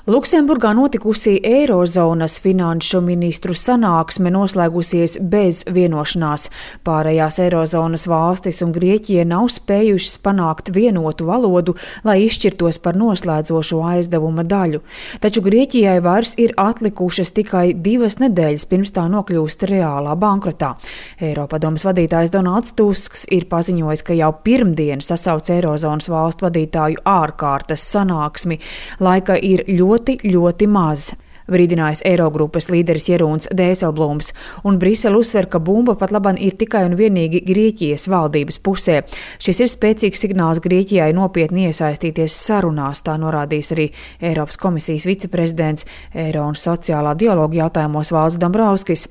Luksemburgā notikusi Eirozonas finanšu ministru sanāksme noslēgusies bez vienošanās. Pārējās Eirozonas valstis un Grieķija nav spējušas panākt vienotu valodu, lai izšķirtos par noslēdzošo aizdevuma daļu. Taču Grieķijai vairs ir atlikušas tikai 2 nedēļas pirms tā nokļūst reālā bankrotā. Eiropadomes vadītājs Donalds Tusks ir paziņojis, ka jau pirmdien sasauc Eirozonas valstu vadītāju ārkārtas sanāksmi. Laika ir ļoti maz. Brīdinājis Eirogrupas līderis Jeroens Dijsselbloems, un Brisele uzsver, ka bumba pat laban ir tikai un vienīgi Grieķijas valdības pusē. Šis ir spēcīgs signāls Grieķijai nopietni iesaistīties sarunās, tā norādījis arī Eiropas komisijas viceprezidents Eiro un sociālā dialoga jautājumos Valdis Dombrovskis.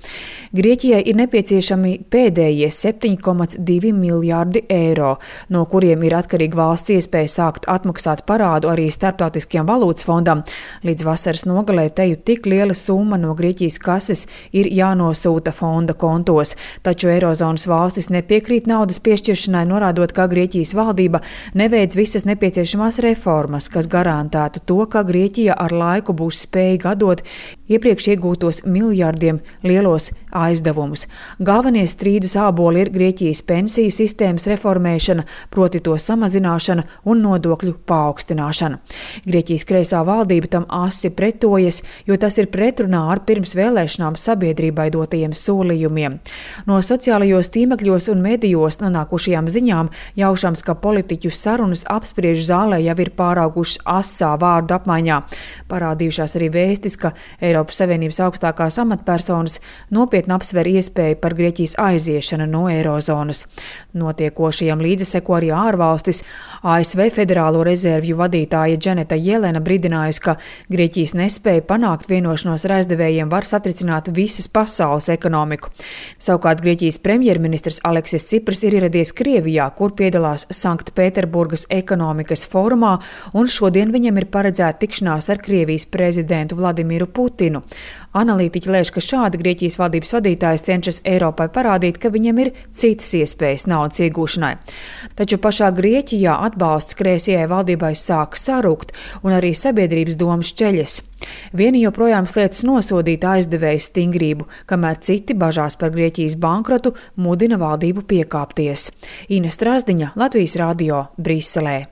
Grieķijai ir nepieciešami pēdējie 7,2 miljārdi eiro, no kuriem ir atkarīga valsts iespēja sākt atmaksāt parādu arī Starptautiskajam valūtas fondam. Līdz vasaras nogalē teju tik liela summa no Grieķijas kases ir jānosūta fonda kontos, taču Eirozonas valstis nepiekrīt naudas piešķiršanai, norādot, ka Grieķijas valdība neveic visas nepieciešamās reformas, kas garantētu to, ka Grieķija ar laiku būs spējīga atdot iepriekš iegūtos miljardiem lielos aizdevumus. Galvenie strīdus āboli ir Grieķijas pensiju sistēmas reformēšana, proti to samazināšana un nodokļu paaugstināšana. Grieķijas kreisā valdība tam asi pretojas, jo tas ir pretrunā ar pirms vēlēšanām sabiedrībai dotajiem solījumiem. No sociālajos tīmekļos un medijos nonākušajām ziņām jaušams, ka politiķu sarunas apspriež zālē jau ir pāraugušas asā vārdu apmaiņā. Parādījušās arī vēstis, ka Eiropas Savienības augstākās amatpersonas nopietni apsver iespēju par Grieķijas aiziešanu no Eirozonas. Notiekošajam līdzi seko arī ārvalstis. ASV Federālo rezervju vadītāja Janeta Jelena brīdinājusi, ka Grieķijas nespēja panākt vienošanos ar aizdevējiem var satricināt visas pasaules ekonomiku. Savukārt Grieķijas premjerministrs Aleksis Cipras ir ieradies Krievijā, kur piedalās Sanktpēterburgas ekonomikas fórumā, un šodien viņam ir paredzēta tikšanās ar Krievijas prezidentu Vladimiru Putinu. Analītiķi lēš, ka šādi Grieķijas valdības vadītājs cenšas Eiropai parādīt, ka viņam ir citas iespējas naudas iegūšanai. Taču pašā Grieķijā atbalsts kreisajai valdībai sāk sarūkt, un arī sabiedrības domas šķeļas. Vieni joprojām sliedz nosodīt aizdevēju stingrību, kamēr citi bažās par Grieķijas bankrotu mudina valdību piekāpties. Ines Strasdiņa, Latvijas radio, Briselē.